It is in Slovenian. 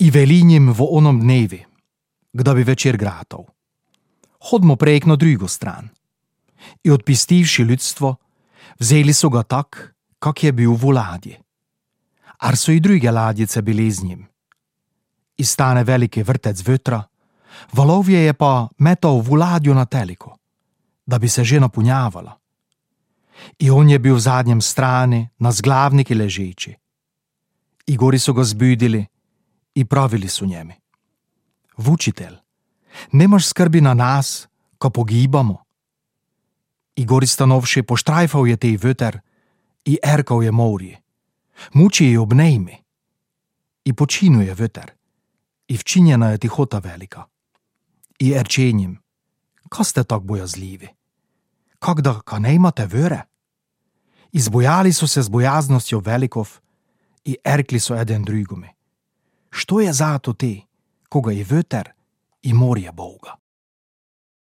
I veli njim v onom dnevi, kda bi večer gratov. Hodmo prejk na drugo stran. I odpistivši ljudstvo, vzeli so ga tak, kak je bil v ladji. Ar so i druge ladjice bili z njim. I stane veliki vrtec vetra, valovje je pa metal v ladju na teliko, da bi se že napunjavala. I on je bil v zadnjem strani, na zglavniki ležeči. I gori so ga zbudili i pravili su njemi: Vučitelj, nemaš skrbi na nas, ko pogibamo? I gori stanovši poštrajfal je tej veter i erkal je morje: Muči je obnejmi. I počinuje veter i včinjena je tihota velika. I erčenjim: Ka ste tak bojazljivi? Kak da ka ne imate vere? Izbojali so se z bojaznostjo velikov i erkli so eden drugome: Što je zato te, koga je veter i morje Boga?